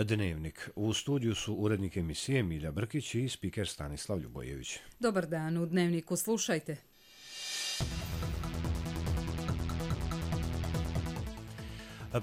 Dnevnik. U studiju su urednik emisije Milja Brkić i spiker Stanislav Ljubojević. Dobar dan, u Dnevniku slušajte.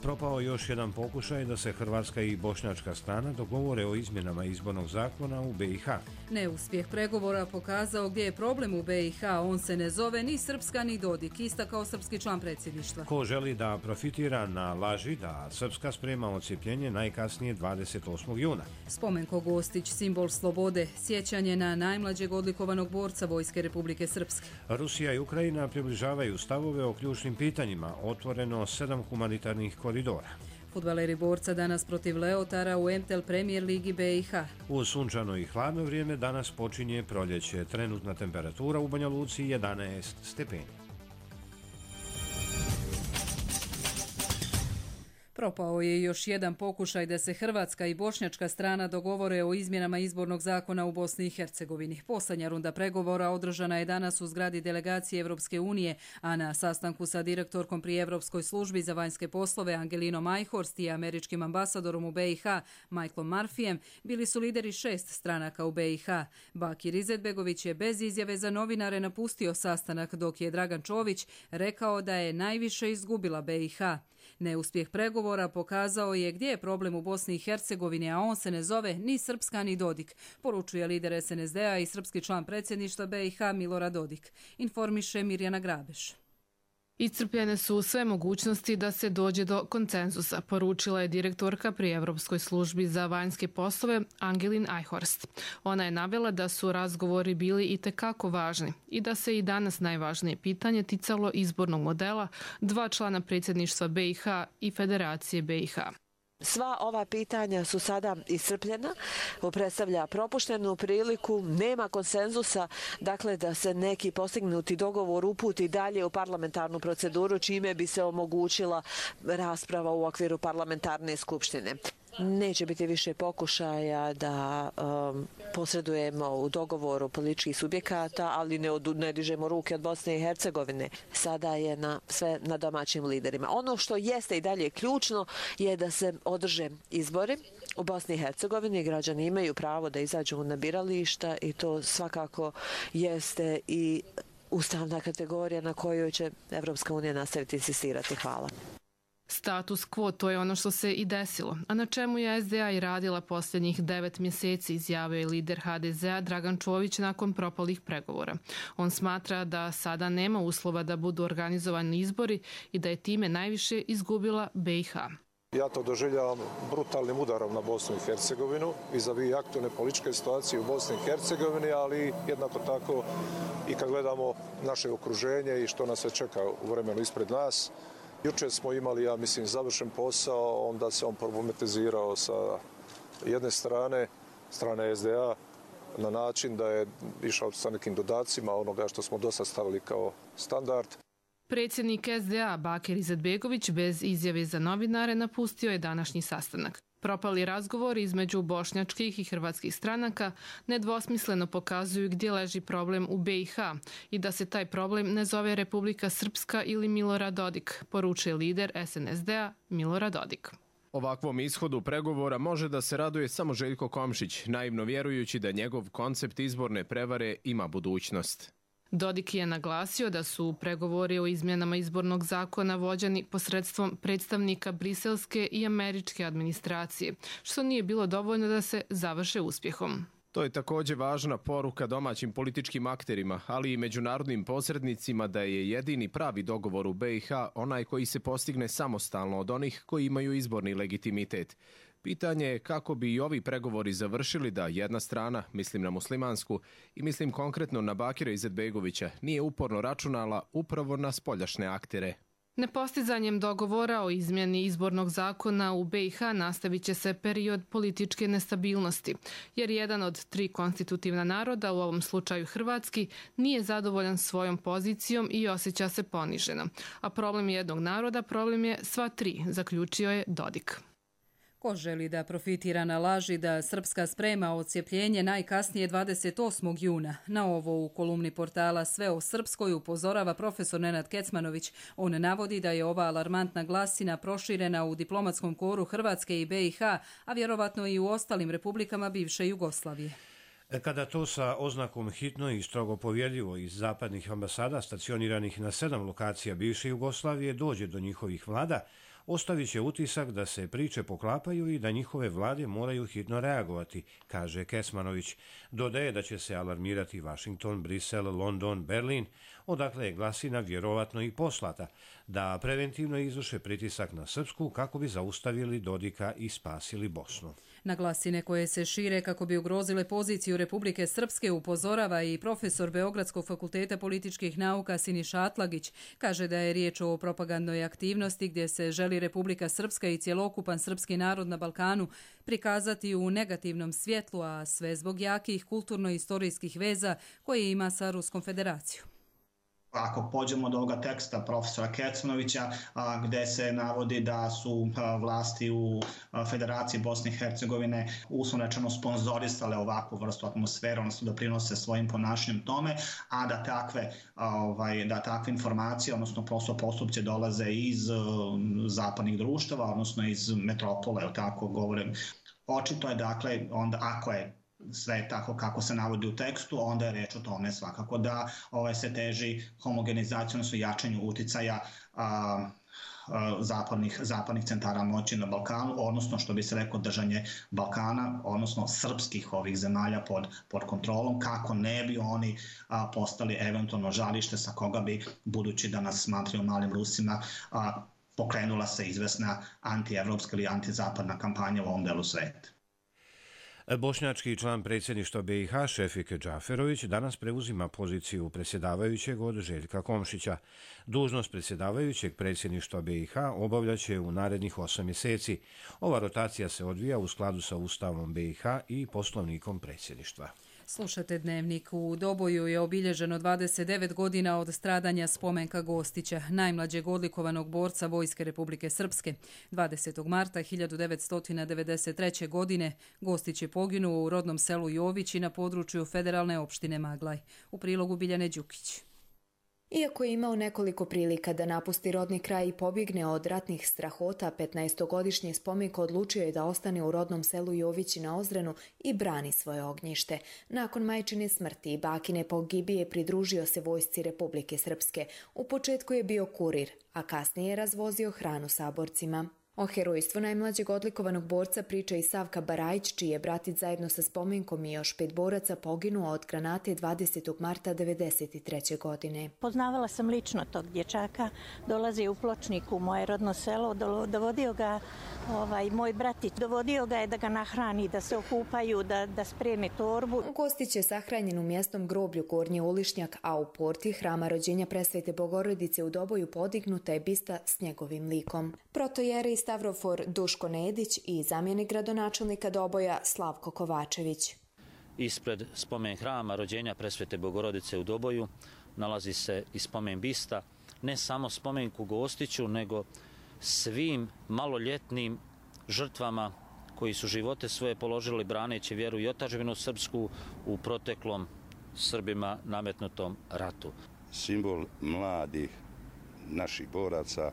Propao još jedan pokušaj da se hrvatska i bošnjačka strana dogovore o izmjenama izbornog zakona u BiH. Neuspjeh pregovora pokazao gdje je problem u BiH, on se ne zove ni Srpska ni Dodik, istakao srpski član predsjedništva. Ko želi da profitira na laži da Srpska sprema odcijepljenje najkasnije 28. juna. Spomenko Gostić, simbol slobode, sjećanje na najmlađeg odlikovanog borca Vojske Republike Srpske. Rusija i Ukrajina približavaju stavove o ključnim pitanjima, otvoreno 7 humanitarnih koridora. Fudbaleri Borca danas protiv Leotara u MTEL Premier Ligi BiH. U sunčano i hladno vrijeme danas počinje proljeće. Trenutna temperatura u Banja Luci 11 stepeni. Propao je još jedan pokušaj da se hrvatska i bošnjačka strana dogovore o izmjenama izbornog zakona u Bosni i Hercegovini. Posljednja runda pregovora održana je danas u zgradi delegacije Evropske unije, a na sastanku sa direktorkom pri Evropskoj službi za vanjske poslove Angelinom Eichhorst i američkim ambasadorom u BiH Michaelom Murphyjem bili su lideri 6 stranaka u BiH. Bakir Izetbegović je bez izjave za novinare napustio sastanak, dok je Dragan Čović rekao da je najviše izgubila BiH. Neuspjeh pregovora pokazao je gdje je problem u Bosni i Hercegovini, a on se ne zove ni Srpska ni Dodik, poručuje lider SNSD-a i srpski član predsjedništva BiH Milorad Dodik, informiše Mirjana Grabeš. Iscrpljene su sve mogućnosti da se dođe do konsenzusa, poručila je direktorka pri Evropskoj službi za vanjske poslove Angelin Eichhorst. Ona je navela da su razgovori bili itekako važni i da se i danas najvažnije pitanje ticalo izbornog modela, 2 člana predsjedništva BiH i Federacije BiH. Sva ova pitanja su sada iscrpljena, predstavlja propuštenu priliku, nema konsenzusa, dakle da se neki postignuti dogovor uputi dalje u parlamentarnu proceduru, čime bi se omogućila rasprava u okviru parlamentarne skupštine. Neće biti više pokušaja da posredujemo u dogovoru političkih subjekata, ali ne dižemo ruke od Bosne i Hercegovine. Sada je sve na domaćim liderima. Ono što jeste i dalje ključno je da se održe izbori u Bosni i Hercegovini. Građani imaju pravo da izađu na birališta i to svakako jeste i ustavna kategorija na kojoj će Evropska unija nastaviti insistirati. Hvala. Status quo, to je ono što se i desilo, a na čemu je SDA i radila posljednjih 9 mjeseci, izjavio je lider HDZ-a Dragan Čović nakon propalih pregovora. On smatra da sada nema uslova da budu organizovani izbori i da je time najviše izgubila BiH. Ja to doživljavam brutalnim udarom na Bosnu i Hercegovinu vis-a-vis aktualne političke situacije u Bosni i Hercegovini, ali jednako tako i kad gledamo naše okruženje i što nas se čeka u vremenu ispred nas. Jučer smo imali, ja mislim, završen posao, onda se on problematizirao sa jedne strane SDA, na način da je išao sa nekim dodacima onoga što smo dosad stavili kao standard. Predsjednik SDA Bakir Izetbegović bez izjave za novinare napustio je današnji sastanak. Propali razgovori između bošnjačkih i hrvatskih stranaka nedvosmisleno pokazuju gdje leži problem u BiH i da se taj problem ne zove Republika Srpska ili Milorad Dodik, poručuje lider SNSD-a Milorad Dodik. Ovakvom ishodu pregovora može da se raduje samo Željko Komšić, naivno vjerujući da njegov koncept izborne prevare ima budućnost. Dodik je naglasio da su pregovori o izmjenama izbornog zakona vođeni posredstvom predstavnika briselske i američke administracije, što nije bilo dovoljno da se završe uspjehom. To je također važna poruka domaćim političkim akterima, ali i međunarodnim posrednicima da je jedini pravi dogovor u BiH onaj koji se postigne samostalno od onih koji imaju izborni legitimitet. Pitanje je kako bi i ovi pregovori završili da jedna strana, mislim na muslimansku i mislim konkretno na Bakira Izetbegovića, nije uporno računala upravo na spoljašnje aktere. Nepostizanjem dogovora o izmjeni izbornog zakona u BiH nastavit će se period političke nestabilnosti, jer jedan od 3 konstitutivna naroda, u ovom slučaju hrvatski, nije zadovoljan svojom pozicijom i osjeća se poniženo. A problem jednog naroda, problem je sva 3, zaključio je Dodik. Ko želi da profitira na laži da Srpska sprema odcijepljenje najkasnije 28. juna? Na ovo u kolumni portala Sve o Srpskoj upozorava profesor Nenad Kecmanović. On navodi da je ova alarmantna glasina proširena u diplomatskom koru Hrvatske i BiH, a vjerovatno i u ostalim republikama bivše Jugoslavije. Kada to sa oznakom hitno i strogo povjerljivo iz zapadnih ambasada stacioniranih na 7 lokacija bivše Jugoslavije dođe do njihovih vlada, ostavit će utisak da se priče poklapaju i da njihove vlade moraju hitno reagovati, kaže Kecmanović. Dodaje da će se alarmirati Washington, Brisel, London, Berlin, odakle je glasina vjerovatno i poslata, da preventivno izvrše pritisak na Srpsku kako bi zaustavili Dodika i spasili Bosnu. Na glasine koje se šire kako bi ugrozile poziciju Republike Srpske upozorava i profesor Beogradskog fakulteta političkih nauka Siniša Atlagić. Kaže da je riječ o propagandnoj aktivnosti gdje se želi Republika Srpska i cjelokupan srpski narod na Balkanu prikazati u negativnom svjetlu, a sve zbog jakih kulturno-istorijskih veza koje ima sa Ruskom federacijom. Ako pođemo od ovoga teksta profesora Kecmanovića gdje se navodi da su vlasti u Federaciji Bosne i Hercegovine uslovno rečeno sponzorisale ovakvu vrstu atmosfere, odnosno da prinose svojim ponašanjem tome, a da takve informacije, odnosno postupci dolaze iz zapadnih društava, odnosno iz metropole, tako govorim. Očito je dakle, onda ako je sve tako kako se navodi u tekstu, onda je reč o tome svakako da se teži homogenizaciju, odnosno jačanju uticaja zapadnih centara moći na Balkanu, odnosno što bi se reklo držanje Balkana, odnosno srpskih ovih zemalja pod kontrolom, kako ne bi oni postali eventualno žarište sa koga bi, budući da nas smatraju malim Rusima, pokrenula se izvesna antievropska ili antizapadna kampanja u ovom delu sveta. Bošnjački član predsjedništva BiH Šefik Džaferović danas preuzima poziciju predsjedavajućeg od Željka Komšića. Dužnost predsjedavajućeg predsjedništva BiH obavljaće u narednih 8 mjeseci. Ova rotacija se odvija u skladu sa Ustavom BiH i poslovnikom predsjedništva. Slušate Dnevnik. U Doboju je obilježeno 29 godina od stradanja Spomenka Gostića, najmlađeg odlikovanog borca Vojske Republike Srpske. 20. marta 1993. godine Gostić je poginuo u rodnom selu Jovići na području federalne opštine Maglaj. U prilogu Biljane Đukić. Iako je imao nekoliko prilika da napusti rodni kraj i pobjegne od ratnih strahota, 15-godišnji Spomenko odlučio je da ostane u rodnom selu Jovići na Ozrenu i brani svoje ognjište. Nakon majčine smrti i bakine pogibije pridružio se Vojsci Republike Srpske. U početku je bio kurir, a kasnije je razvozio hranu saborcima. O herojstvu najmlađeg odlikovanog borca priča i Savka Barajić, čiji je bratic zajedno sa Spomenkom i još 5 boraca poginuo od granate 20. marta 1993. godine. Poznavala sam lično tog dječaka, dolazi u Pločnik u moje rodno selo, dovodio ga moj bratić, dovodio ga je da ga nahrani, da se okupaju, da spremi torbu. Gostić je sahranjen u mjesnom groblju Gornji Ulišnjak, a u porti Hrama rođenja Presvete Bogorodice u Doboju podignuta je bista s njegovim likom. Protojeri Stavrofor Duško Nedić i zamjenik gradonačelnika Doboja Slavko Kovačević. Ispred spomen Hrama rođenja Presvete Bogorodice u Doboju nalazi se i spomen bista, ne samo spomenku Gostiću, nego svim maloljetnim žrtvama koji su živote svoje položili braneći vjeru i otadžbinu srpsku u proteklom Srbima nametnutom ratu. Simbol mladih naših boraca,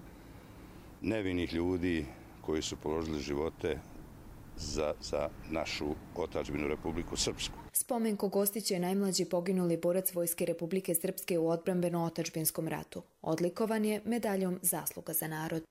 nevinih ljudi koji su položili živote za našu otadžbinu Republiku Srpsku. Spomenko Gostić je najmlađi poginuli borac Vojske Republike Srpske u odbrambeno-otadžbinskom ratu. Odlikovan je medaljom Zasluga za narod.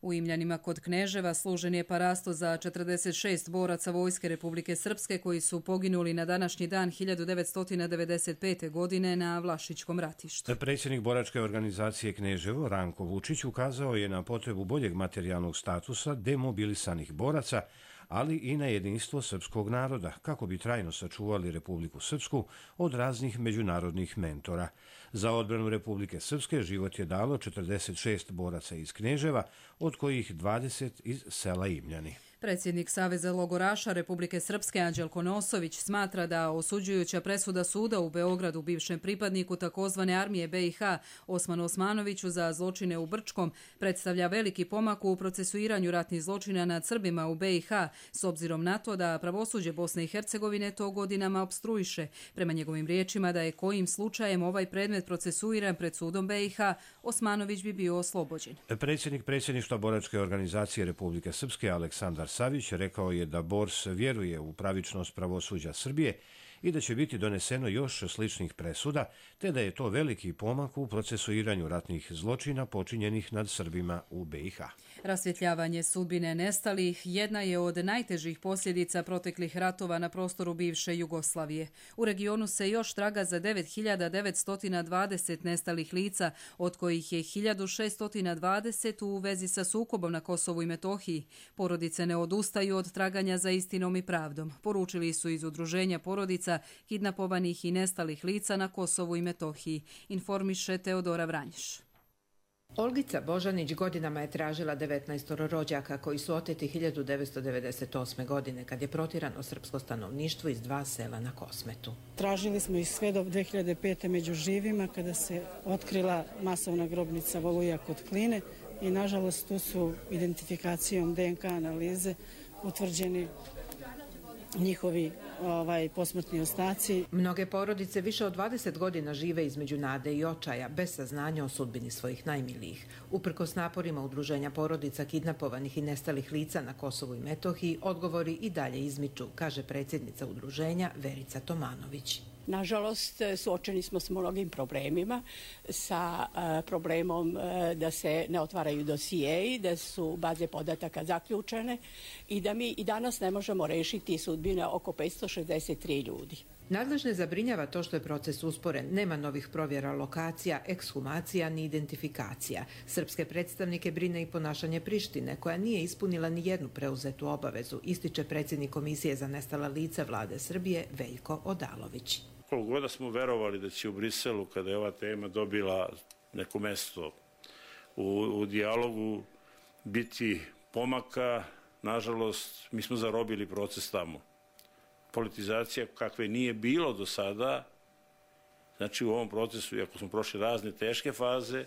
U Imljanima kod Kneževa služen je parasto za 46 boraca Vojske Republike Srpske koji su poginuli na današnji dan 1995. godine na Vlašićkom ratištu. Predsjednik boračke organizacije Kneževo Ranko Vučić ukazao je na potrebu boljeg materijalnog statusa demobilisanih boraca, ali i na jedinstvo srpskog naroda, kako bi trajno sačuvali Republiku Srpsku od raznih međunarodnih mentora. Za odbranu Republike Srpske život je dalo 46 boraca iz Kneževa, od kojih 20 iz sela Imljani. Predsjednik Saveza logoraša Republike Srpske Anđelko Nosović smatra da osuđujuća presuda suda u Beogradu bivšem pripadniku takozvane armije BiH Osmanu Osmanoviću za zločine u Brčkom predstavlja veliki pomak u procesuiranju ratnih zločina nad Srbima u BiH, s obzirom na to da pravosuđe Bosne i Hercegovine to godinama opstruiše. Prema njegovim riječima da je kojim slučajem ovaj predmet procesuiran pred sudom BiH, Osmanović bi bio oslobođen. Predsjednik predsjedništva boračke organizacije Republike Srpske Aleksandar Savić rekao je da BORS vjeruje u pravičnost pravosuđa Srbije i da će biti doneseno još sličnih presuda, te da je to veliki pomak u procesuiranju ratnih zločina počinjenih nad Srbima u BiH. Rasvjetljavanje sudbine nestalih jedna je od najtežih posljedica proteklih ratova na prostoru bivše Jugoslavije. U regionu se još traga za 9.920 nestalih lica, od kojih je 1.620 u vezi sa sukobom na Kosovu i Metohiji. Porodice ne odustaju od traganja za istinom i pravdom, poručili su iz Udruženja porodica kidnapovanih i nestalih lica na Kosovu i Metohiji, informiše Teodora Vranješ. Olgica Božanić godinama je tražila 19 rođaka koji su oteti 1998. godine kad je protjerano srpsko stanovništvo iz 2 sela na Kosmetu. Tražili smo ih sve do 2005. među živima kada se otkrila masovna grobnica Voluja kod Kline i nažalost tu su identifikacijom DNK analize utvrđeni njihovi posmrtni ostaci. Mnoge porodice više od 20 godina žive između nade i očaja, bez saznanja o sudbini svojih najmilijih. Uprkos naporima Udruženja porodica kidnapovanih i nestalih lica na Kosovu i Metohiji, odgovori i dalje izmiču, kaže predsjednica udruženja Verica Tomanović. Nažalost, suočeni smo s mnogim problemima, sa problemom da se ne otvaraju dosijeji, da su baze podataka zaključene i da mi i danas ne možemo rešiti sudbine oko 563 ljudi. Nadležne zabrinjava to što je proces usporen. Nema novih provjera lokacija, ekshumacija ni identifikacija. Srpske predstavnike brine i ponašanje Prištine, koja nije ispunila ni jednu preuzetu obavezu, ističe predsjednik Komisije za nestala lica Vlade Srbije Veljko Odalović. Koliko god smo verovali da će u Briselu, kada je ova tema dobila neko mesto u dijalogu, biti pomaka, nažalost, mi smo zarobili proces tamo. Politizacija kakve nije bilo do sada, znači u ovom procesu, iako smo prošli razne teške faze,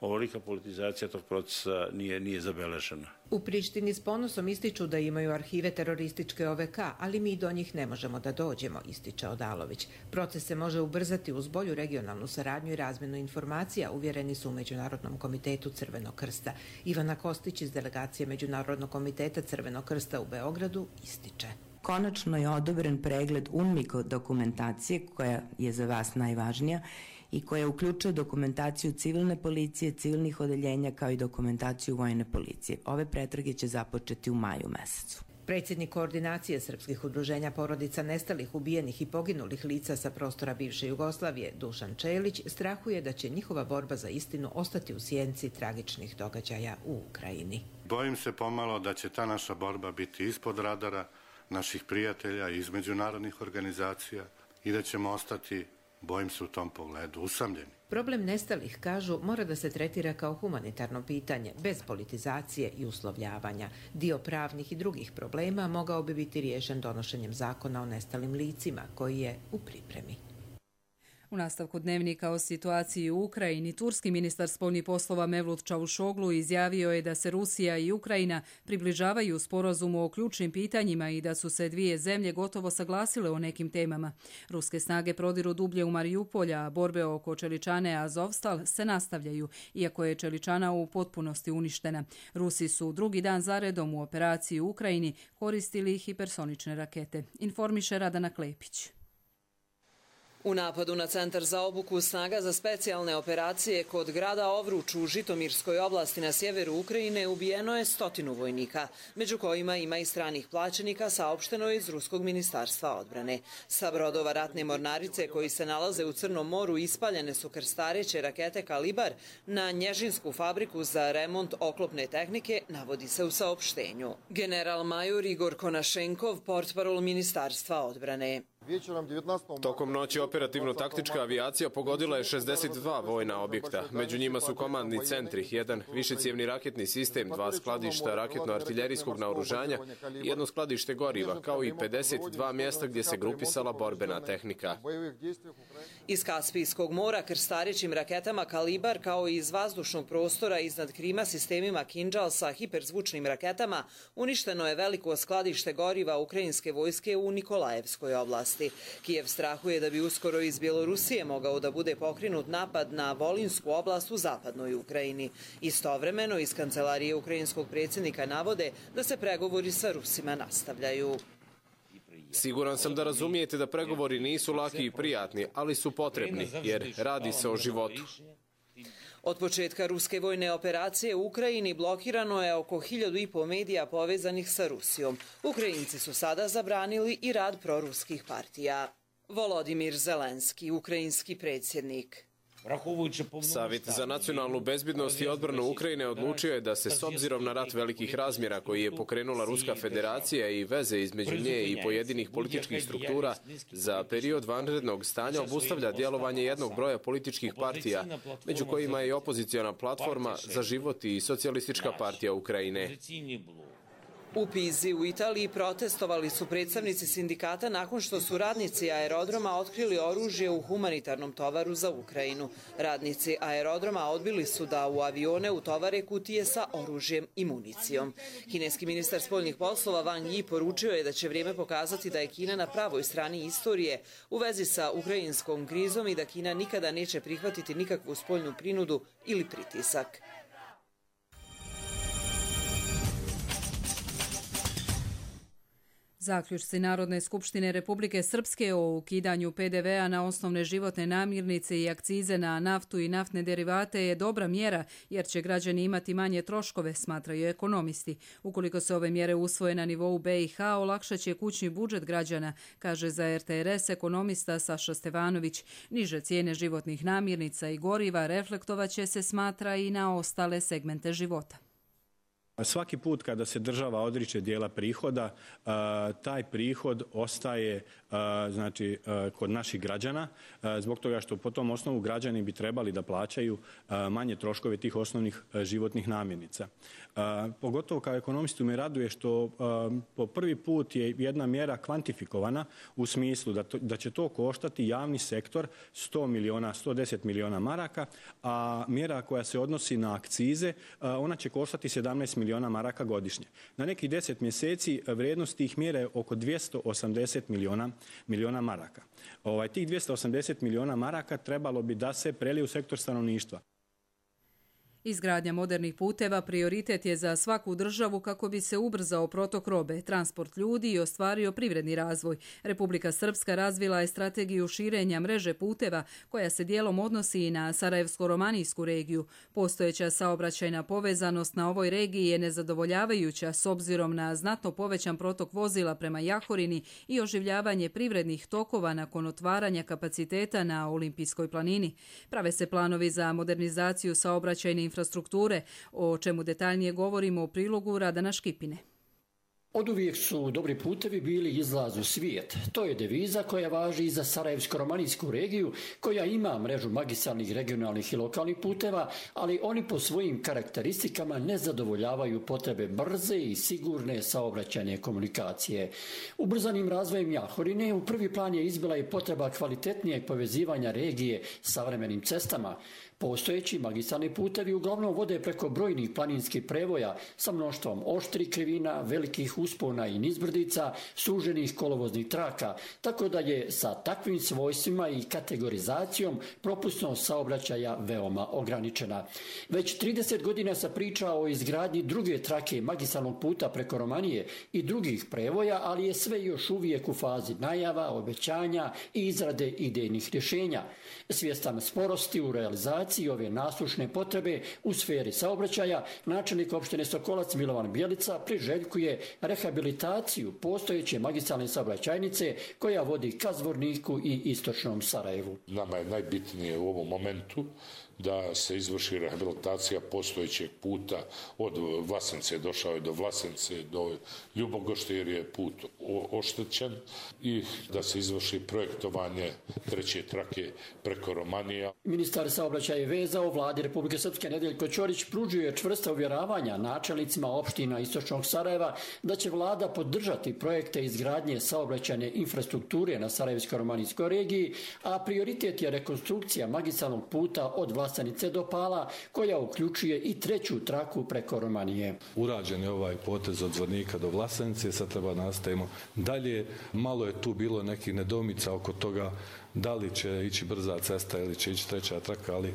ovolika politizacija tog procesa nije zabeležena. U Prištini s ponosom ističu da imaju arhive terorističke OVK, ali mi do njih ne možemo da dođemo, ističe Odalović. Proces se može ubrzati uz bolju regionalnu saradnju i razmjenu informacija, uvjereni su u Međunarodnom komitetu Crvenog krsta. Ivana Kostić iz delegacije Međunarodnog komiteta Crvenog krsta u Beogradu ističe. Konačno je odobren pregled UNMIK dokumentacije, koja je za vas najvažnija i koja uključuje dokumentaciju civilne policije, civilnih odeljenja kao i dokumentaciju vojne policije. Ove pretrage će započeti u maju mesecu. Predsjednik koordinacije srpskih udruženja porodica nestalih, ubijenih i poginulih lica sa prostora bivše Jugoslavije, Dušan Čelić, strahuje da će njihova borba za istinu ostati u sjenci tragičnih događaja u Ukrajini. Bojim se pomalo da će ta naša borba biti ispod radara naših prijatelja iz međunarodnih organizacija i da ćemo ostati, bojim se u tom pogledu, usamljeni. Problem nestalih, kažu, mora da se tretira kao humanitarno pitanje, bez politizacije i uslovljavanja. Dio pravnih i drugih problema mogao bi biti riješen donošenjem zakona o nestalim licima, koji je u pripremi. U nastavku dnevnika o situaciji u Ukrajini, turski ministar spoljnih poslova Mevlut Čavušoglu izjavio je da se Rusija i Ukrajina približavaju sporazumu o ključnim pitanjima i da su se dvije zemlje gotovo saglasile o nekim temama. Ruske snage prodiru dublje u Marijupolja, a borbe oko Čeličane Azovstal se nastavljaju, iako je Čeličana u potpunosti uništena. Rusi su drugi dan zaredom u operaciji u Ukrajini koristili hipersonične rakete, informiše Radana Klepić. U napadu na centar za obuku snaga za specijalne operacije kod grada Ovruč u Žitomirskoj oblasti na sjeveru Ukrajine ubijeno je 100 vojnika, među kojima ima i stranih plaćenika, saopšteno je iz Ruskog ministarstva odbrane. Sa brodova ratne mornarice koji se nalaze u Crnom moru ispaljene su krstareće rakete Kalibar na Nježinsku fabriku za remont oklopne tehnike, navodi se u saopštenju. General major Igor Konašenkov, portparol ministarstva odbrane. Tokom noći operativno-taktička avijacija pogodila je 62 vojna objekta. Među njima su komandni centri, jedan višecijevni raketni sistem, 2 skladišta raketno-artiljerijskog naoružanja i jedno skladište goriva, kao i 52 mjesta gdje se grupisala borbena tehnika. Iz Kaspijskog mora krstarećim raketama Kalibar, kao i iz vazdušnog prostora iznad Krima sistemima Kinjal sa hiperzvučnim raketama, uništeno je veliko skladište goriva ukrajinske vojske u Nikolajevskoj oblasti. Kijev strahuje da bi uskoro iz Bjelorusije mogao da bude pokrenut napad na Volinsku oblast u zapadnoj Ukrajini. Istovremeno iz kancelarije ukrajinskog predsjednika navode da se pregovori sa Rusima nastavljaju. Siguran sam da razumijete da pregovori nisu laki i prijatni, ali su potrebni, jer radi se o životu. Od početka ruske vojne operacije u Ukrajini blokirano je oko 1500 medija povezanih sa Rusijom. Ukrajinci su sada zabranili i rad proruskih partija. Volodimir Zelenski, ukrajinski predsjednik. Savjet za nacionalnu bezbednost i odbranu Ukrajine odlučio je da se s obzirom na rat velikih razmjera koji je pokrenula Ruska federacija i veze između nje i pojedinih političkih struktura za period vanrednog stanja obustavlja djelovanje jednog broja političkih partija, među kojima je i opoziciona platforma Za život i Socijalistička partija Ukrajine. U Pizi u Italiji protestovali su predstavnici sindikata nakon što su radnici aerodroma otkrili oružje u humanitarnom tovaru za Ukrajinu. Radnici aerodroma odbili su da u avione utovare kutije sa oružjem i municijom. Kineski ministar spoljnih poslova Wang Yi poručio je da će vrijeme pokazati da je Kina na pravoj strani istorije u vezi sa ukrajinskom krizom i da Kina nikada neće prihvatiti nikakvu spoljnu prinudu ili pritisak. Zaključci Narodne skupštine Republike Srpske o ukidanju PDV-a na osnovne životne namirnice i akcize na naftu i naftne derivate je dobra mjera jer će građani imati manje troškove, smatraju ekonomisti. Ukoliko se ove mjere usvoje na nivou BiH, olakšat će kućni budžet građana, kaže za RTRS ekonomista Saša Stevanović. Niže cijene životnih namirnica i goriva reflektovaće se, smatra, i na ostale segmente života. Svaki put kada se država odriče dijela prihoda, taj prihod ostaje kod naših građana, zbog toga što po tom osnovu građani bi trebali da plaćaju manje troškove tih osnovnih životnih namirnica. Pogotovo kao ekonomistu me raduje što po prvi put je jedna mjera kvantifikovana u smislu da će to koštati javni sektor 110 miliona maraka, a mjera koja se odnosi na akcize, ona će koštati 17 miliona maraka godišnje. Na nekih 10 mjeseci vrijednost tih mjera je oko 280 miliona maraka. Tih 280 miliona maraka trebalo bi da se prelije u sektor stanovništva. Izgradnja modernih puteva prioritet je za svaku državu kako bi se ubrzao protok robe, transport ljudi i ostvario privredni razvoj. Republika Srpska razvila je strategiju širenja mreže puteva koja se dijelom odnosi i na Sarajevsko-romanijsku regiju. Postojeća saobraćajna povezanost na ovoj regiji je nezadovoljavajuća s obzirom na znatno povećan protok vozila prema Jahorini i oživljavanje privrednih tokova nakon otvaranja kapaciteta na Olimpijskoj planini. Prave se planovi za modernizaciju saobraćajne infrastrukture, o čemu detaljnije govorimo u prilogu Radana Škipine. Oduvijek su dobri putevi bili izlaz u svijet. To je deviza koja važi i za Sarajevsko-romanijsku regiju, koja ima mrežu magistralnih, regionalnih i lokalnih puteva, ali oni po svojim karakteristikama ne zadovoljavaju potrebe brze i sigurne saobraćajne komunikacije. Ubrzanim razvojem Jahorine u prvi plan je izbila i potreba kvalitetnijeg povezivanja regije savremenim cestama. Postojeći magistralni putevi uglavnom vode preko brojnih planinskih prevoja sa mnoštvom oštrih krivina, velikih uspona i nizbrdica, suženih kolovoznih traka, tako da je sa takvim svojstvima i kategorizacijom propusnost saobraćaja veoma ograničena. Već 30 godina se priča o izgradnji druge trake magistralnog puta preko Romanije i drugih prevoja, ali je sve još uvijek u fazi najava, obećanja i izrade idejnih rješenja. Svjestan sporosti u realizaciji ove naslušne potrebe u sferi saobraćaja, načelnik opštine Sokolac Milovan Bjelica priželjkuje rehabilitaciju postojeće magistralne saobraćajnice koja vodi ka Zvorniku i istočnom Sarajevu. Nama je najbitnije u ovom momentu da se izvrši rehabilitacija postojećeg puta od Vlasence, došao je do Vlasence, do Ljubogošte jer je put oštećen i da se izvrši projektovanje treće trake preko Romanija. Ministar saobraćaja i veza u vladi Republike Srpske Nedeljko Ćorić pružio je čvrsta uvjeravanja načelnicima opština istočnog Sarajeva da će vlada podržati projekte izgradnje saobraćajne infrastrukture na Sarajevsko-romanijskoj regiji, a prioritet je rekonstrukcija magistralnog puta od Vlasenice do Pala, koja uključuje i treću traku preko Romanije. Urađen je ovaj potez od Zvornika do Vlasenice, sad treba nastavimo dalje. Malo je tu bilo nekih nedoumica oko toga da li će ići brza cesta ili će ići treća traka, ali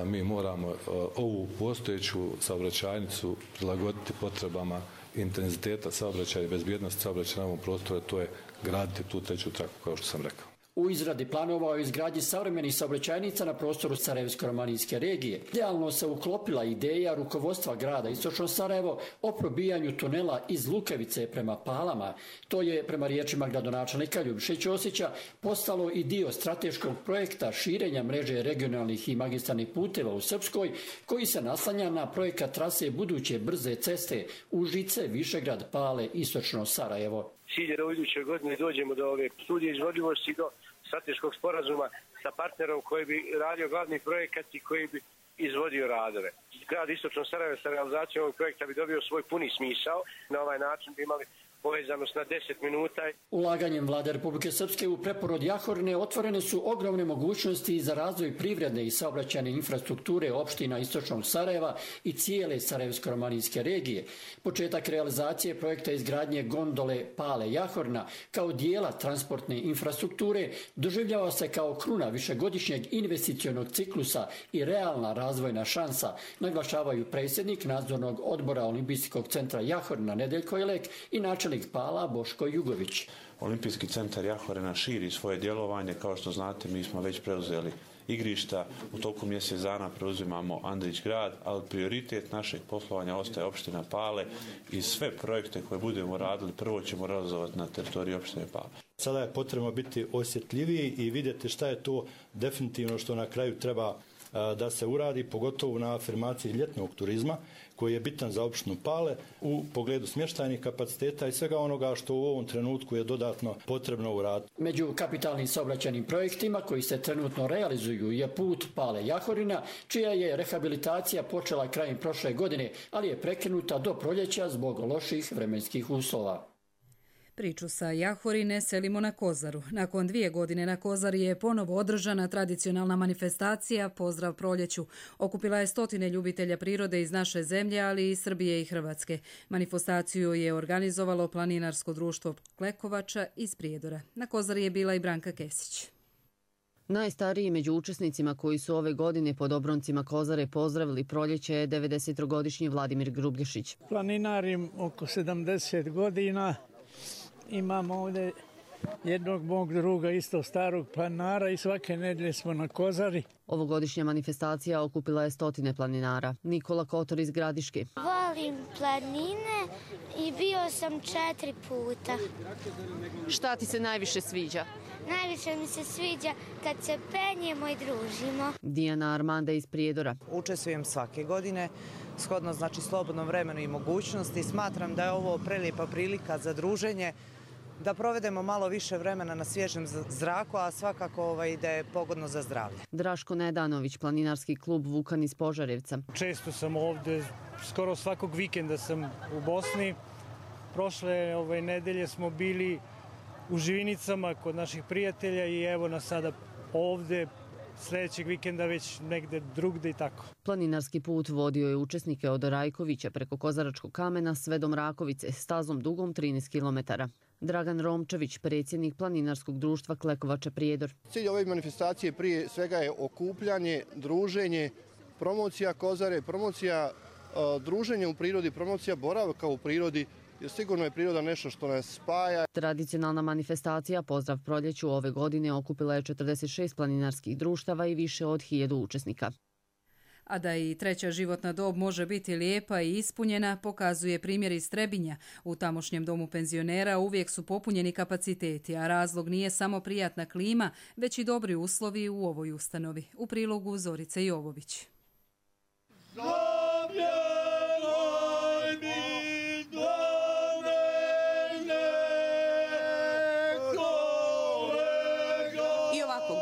mi moramo ovu postojeću saobraćajnicu prilagoditi potrebama intenziteta saobraćaja i bezbjednosti saobraćaja na ovom prostoru, to je graditi tu treću traku, kao što sam rekao. U izradi planova o izgradnji savremenih saobraćajnica na prostoru Sarajevsko-romanijske regije idealno se uklopila ideja rukovodstva grada Istočno Sarajevo o probijanju tunela iz Lukevice prema Palama. To je, prema riječima gradonačelnika Ljubiše Ćosića, postalo i dio strateškog projekta širenja mreže regionalnih i magistralnih puteva u Srpskoj, koji se naslanja na projekat trase buduće brze ceste Užice, Višegrad, Pale, Istočno Sarajevo. Cilj je da u idućoj godini dođemo do ove studije izvodljivosti, do strateškog sporazuma sa partnerom koji bi radio glavni projekat i koji bi izvodio radove. Grad Istočno Sarajevo sa realizacijom ovog projekta bi dobio svoj puni smisao. Na ovaj način bi imali povezanost na 10 minuta. Ulaganjem vlade Republike Srpske u preporod Jahorne otvorene su ogromne mogućnosti za razvoj privredne i saobraćajne infrastrukture opština Istočnog Sarajeva i cijele Sarajevsko-romanijske regije. Početak realizacije projekta izgradnje gondole Pale Jahorna kao dijela transportne infrastrukture doživljava se kao kruna višegodišnjeg investicionog ciklusa i realna razvojna šansa, naglašavaju predsjednik nadzornog odbora Olimpijskog centra Jahorna Nedeljko Jelek i načelnik Pala Boško Jugović. Olimpijski centar Jahorena širi svoje djelovanje. Kao što znate, mi smo već preuzeli igrišta. U toku mjesec dana preuzimamo Andrić grad, ali prioritet našeg poslovanja ostaje opština Pale i sve projekte koje budemo radili prvo ćemo realizovati na teritoriji opštine Pale. Sada je potrebno biti osjetljiviji i vidjeti šta je to definitivno što na kraju treba da se uradi, pogotovo na afirmaciji ljetnog turizma koji je bitan za opštinu Pale u pogledu smještajnih kapaciteta i svega onoga što u ovom trenutku je dodatno potrebno uraditi. Među kapitalnim saobraćajnim projektima koji se trenutno realizuju je put Pale Jahorina, čija je rehabilitacija počela krajem prošle godine, ali je prekinuta do proljeća zbog loših vremenskih uslova. Priču sa Jahorine selimo na Kozaru. Nakon 2 godine na Kozari je ponovo održana tradicionalna manifestacija Pozdrav proljeću. Okupila je stotine ljubitelja prirode iz naše zemlje, ali i Srbije i Hrvatske. Manifestaciju je organizovalo planinarsko društvo Klekovača iz Prijedora. Na Kozari je bila i Branka Kesić. Najstariji među učesnicima koji su ove godine pod obroncima Kozare pozdravili proljeće je 90-godišnji Vladimir Grublješić. Planinarim oko 70 godina. Imam ovdje jednog mog druga, isto starog planinara i svake nedjelje smo na Kozari. Ovogodišnja manifestacija okupila je stotine planinara. Nikola Kotor iz Gradiške. Volim planine i bio sam 4 puta. Šta ti se najviše sviđa? Najviše mi se sviđa kad se penjemo i družimo. Dijana Armanda iz Prijedora. Učestvujem svake godine, shodno znači slobodnom vremenu i mogućnosti. Smatram da je ovo prelijepa prilika za druženje, da provedemo malo više vremena na svježem zraku, a svakako da je pogodno za zdravlje. Draško Nedanović, planinarski klub Vukan iz Požarevca. Često sam ovdje, skoro svakog vikenda sam u Bosni. Prošle nedelje smo bili u Živinicama kod naših prijatelja i evo nas sada ovdje. Sljedećeg vikenda već negde drugde i tako. Planinarski put vodio je učesnike od Rajkovića preko Kozaračkog kamena sve do Mrakovice, stazom dugom 13 km. Dragan Romčević, predsjednik planinarskog društva Klekovača Prijedor. Cilj ove manifestacije prije svega je okupljanje, druženje, promocija Kozare, promocija druženja u prirodi, promocija boravka u prirodi, jer sigurno je priroda nešto što nas spaja. Tradicionalna manifestacija Pozdrav proljeću ove godine okupila je 46 planinarskih društava i više od 1000 učesnika. A da i treća životna dob može biti lijepa i ispunjena, pokazuje primjer iz Trebinja. U tamošnjem domu penzionera uvijek su popunjeni kapaciteti, a razlog nije samo prijatna klima, već i dobri uslovi u ovoj ustanovi. U prilogu Zorice Jovović.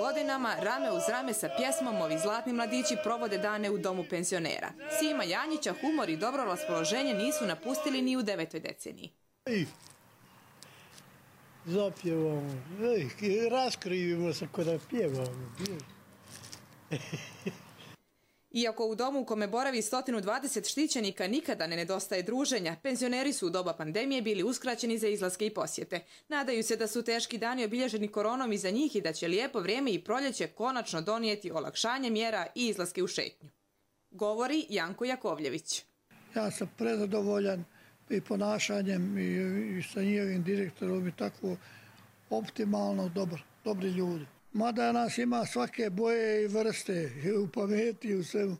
Godinama rame uz rame sa pjesmom ovi zlatni mladići provode dane u domu penzionera. Sima Janjića humor i dobro raspoloženje nisu napustili ni u 9. deceniji. Zapjevamo, raskrivimo se kada pjevamo. Iako u domu u kome boravi 120 štićenika nikada ne nedostaje druženja, penzioneri su u doba pandemije bili uskraćeni za izlaske i posjete. Nadaju se da su teški dani obilježeni koronom iza njih i da će lijepo vrijeme i proljeće konačno donijeti olakšanje mjera i izlaske u šetnju. Govori Janko Jakovljević. Ja sam prezadovoljan i ponašanjem i sa njihovim direktorom i tako optimalno dobri ljudi. Mada nas ima svake boje i vrste, u pameti i u svemu.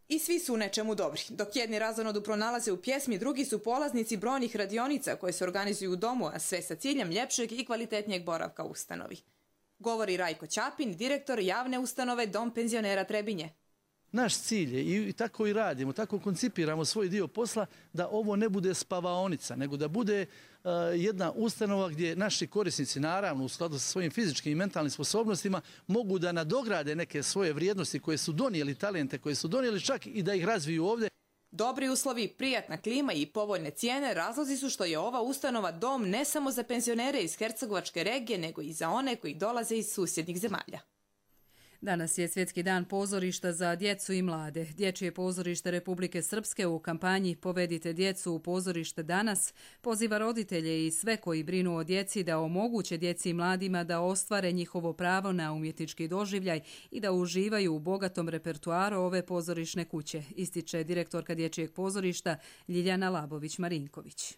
I svi su u nečemu dobri. Dok jedni razonodu pronalaze u pjesmi, drugi su polaznici brojnih radionica koje se organizuju u domu, a sve sa ciljem ljepšeg i kvalitetnijeg boravka u ustanovi. Govori Rajko Ćapin, direktor javne ustanove Dom penzionera Trebinje. Naš cilj je, i tako i radimo, tako koncipiramo svoj dio posla, da ovo ne bude spavaonica, nego da bude jedna ustanova gdje naši korisnici, naravno u skladu sa svojim fizičkim i mentalnim sposobnostima, mogu da nadograde neke svoje vrijednosti koje su donijeli, talente koje su donijeli, čak i da ih razviju ovdje. Dobri uslovi, prijatna klima i povoljne cijene razlozi su što je ova ustanova dom ne samo za penzionere iz Hercegovačke regije, nego i za one koji dolaze iz susjednih zemalja. Danas je Svjetski dan pozorišta za djecu i mlade. Dječje pozorište Republike Srpske u kampanji Povedite djecu u pozorište danas poziva roditelje i sve koji brinu o djeci da omoguće djeci i mladima da ostvare njihovo pravo na umjetnički doživljaj i da uživaju u bogatom repertuaru ove pozorišne kuće, ističe direktorka Dječjeg pozorišta Ljiljana Labović-Marinković.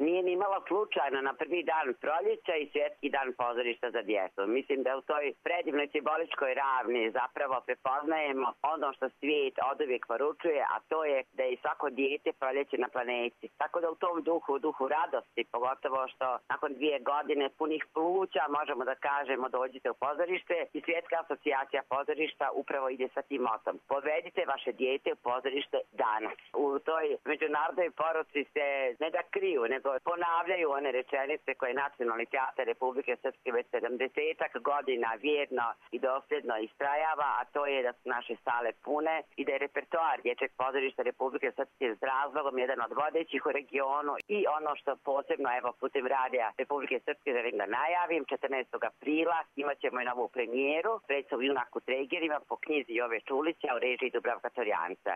Nije ni malo slučajno na prvi dan proljeća i Svjetski dan pozorišta za djecu. Mislim da u toj predivnoj simboličkoj ravni zapravo prepoznajemo ono što svijet oduvijek poručuje, a to je da je svako dijete proljeće na planeti. Tako da u tom duhu radosti, pogotovo što nakon 2 godine punih pluća možemo da kažemo dođite u pozorište i Svjetska asocijacija pozorišta upravo ide sa tim motom. Povedite vaše dijete u pozorište danas. U toj međunarodnoj poruci se ne da kriju, nego ponavljaju one rečenice koje Nacionalni teatar Republike Srpske već 70-ak godina vjerno i dosljedno istrajava, a to je da su naše sale pune i da je repertoar Dječjeg pozorišta Republike Srpske s razlogom jedan od vodećih u regionu. I ono što posebno, evo, putem radija Republike Srpske želim da najavim, 14. aprila imat ćemo i novu premijeru, predstavu Junak u Tregerima po knjizi Jove Čulića u režiji Dubravka Torjanca.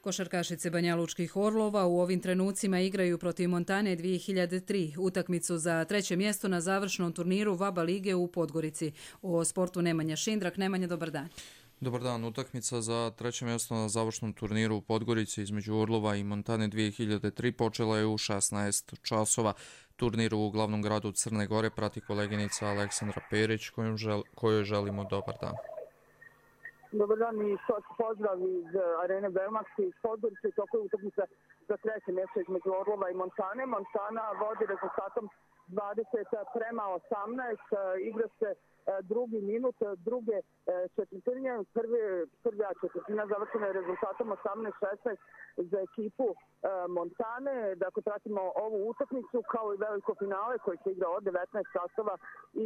Košarkašice Banjalučkih Orlova u ovim trenucima igraju protiv Montane 2003, utakmicu za 3. mjesto na završnom turniru VABA lige u Podgorici. O sportu Nemanja Šindrak. Nemanja, dobar dan. Dobar dan. Utakmica za 3. mjesto na završnom turniru u Podgorici između Orlova i Montane 2003 počela je u 16 časova. Turnir u glavnom gradu Crne Gore prati koleginica Aleksandra Perić, kojoj želimo dobar dan. Dobar dan i pozdrav iz Arene Belmax iz Podgorice. Toko je utakmica za 3. mjesto između Orlova i Montane. Montana vodi rezultatom 20:18. Igra se drugi minut druge četvrtine. Prva četvrtina završena je rezultatom 18:16 za ekipu Montane. Dakle, pratimo ovu utakmicu kao i veliko finale koji se igra od 19 časova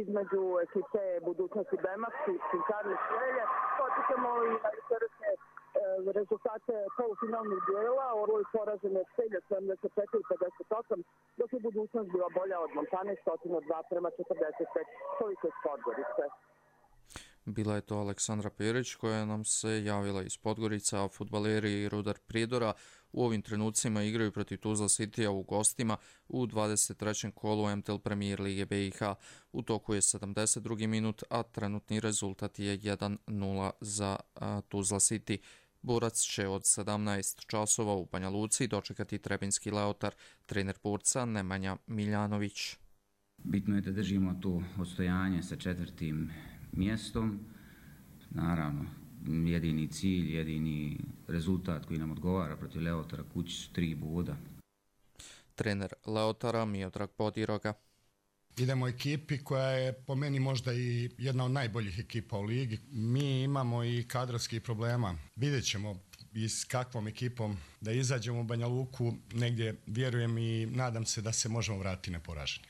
između ekipe Budućnosti Belmax i Cinkarne Švelje. Početamo i na jučerašnje rezultate polufinalnih dijela. Orlovi poraženi od Celja 74-58, dok je Budućnost bila bolja od Montane 102-45. Toliko iz Podgorice. Bila je to Aleksandra Perić koja nam se javila iz Podgorica, a fudbaleri Rudar Prijedora u ovim trenucima igraju protiv Tuzla Citya u gostima u 23. kolu MTL Premier Lige BiH. U toku je 72. minut, a trenutni rezultat je 1:0 za Tuzla City. Borac će od 17 časova u Banja Luci dočekati trebinski Leotar, trener borca Nemanja Miljanović. Bitno je da držimo to odstojanje sa 4. mjestom. Naravno, jedini cilj, jedini rezultat koji nam odgovara protiv Leotara kući 3 boda. Trener Leotara Miodrag Podiroga. Idemo ekipi koja je po meni možda i jedna od najboljih ekipa u ligi. Mi imamo i kadrovskih problema. Vidjet ćemo i s kakvom ekipom da izađemo u Banja Luku. Negdje vjerujem i nadam se da se možemo vratiti neporaženi.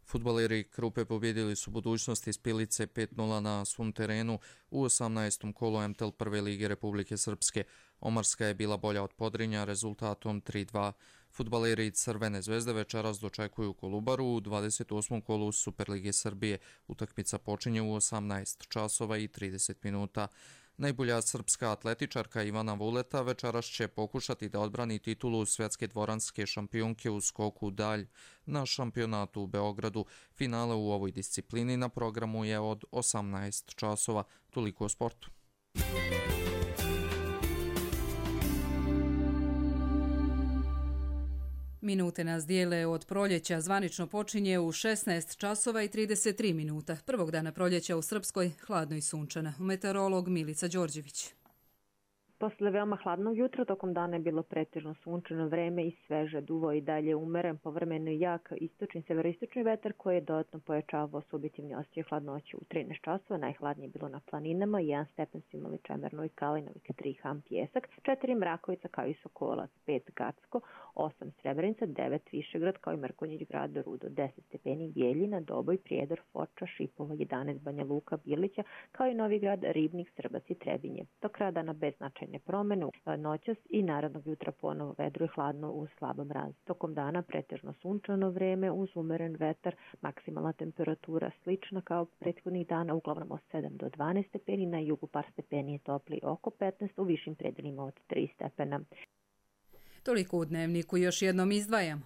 Fudbaleri Krupe pobjedili su Budućnost iz Pilice 5-0 na svom terenu u 18. kolu MTL prve lige Republike Srpske. Omarska je bila bolja od Podrinja rezultatom 3-2. Fudbaleri Crvene zvezde večeras dočekuju Kolubaru u 28. kolu Superlige Srbije. Utakmica počinje u 18 časova i 30 minuta. Najbolja srpska atletičarka Ivana Vuleta večeras će pokušati da odbrani titulu svjetske dvoranske šampionke u skoku dalj na šampionatu u Beogradu. Finale u ovoj disciplini na programu je od 18 časova. Toliko o sportu. Minute nas dijele od proljeća. Zvanično počinje u 16 časova i 33 minuta. Prvog dana proljeća u Srpskoj, hladno i sunčana. Meteorolog Milica Đorđević. Posle veoma hladnog jutra tokom dana je bilo pretežno sunčano vreme i sveže, duvo i dalje umeren, povremeno jak istočni severoistočni vetar koji je dodatno pojačavao subjektivni osjećaj hladnoće u 13 časova. Najhladnije je bilo na planinama, 1 stepen su imali Čemerno i Kalinovik, 3 Ham Pjesak, 4 Mrakovica kao i Sokolac, 5 Gacko, 8 Srebrenica, 9 Višegrad kao i Mrkonjić grad do Rudo, 10 stepeni Bijeljina, Doboj, Prijedor, Foča, Šipovo, 11 Banja Luka, Bilića kao i Novi Grad, Ribnik, Srbac i Trebinje. Do kraja dana bez značajne promene, noćas i narednog jutra ponovo vedro i hladno uz slaba mraz. Tokom dana pretežno sunčano vreme uz umeren vetar, maksimalna temperatura slična kao prethodnih dana, uglavnom od 7 do 12 stepeni, na jugu par stepeni je topli oko 15, u višim predelima od 3 stepena. Toliko u dnevniku, još jednom izdvajamo.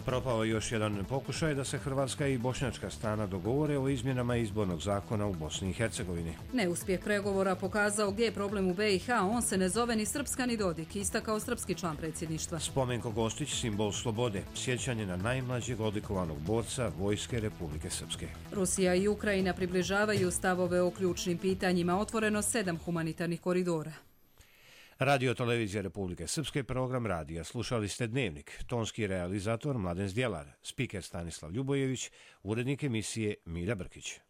Propao je još jedan pokušaj da se hrvatska i bošnjačka strana dogovore o izmjenama izbornog zakona u Bosni i Hercegovini. Neuspjeh pregovora pokazao gdje je problem u BiH, on se ne zove ni Srpska ni Dodik, istakao srpski član predsjedništva. Spomenko Gostić, simbol slobode, sjećanje na najmlađeg odlikovanog borca Vojske Republike Srpske. Rusija i Ukrajina približavaju stavove o ključnim pitanjima, otvoreno 7 humanitarnih koridora. Radio Televizija Republike Srpske, program radija. Slušali ste Dnevnik, tonski realizator Mladen Zdjelar, spiker Stanislav Ljubojević, urednik emisije Milja Brkić.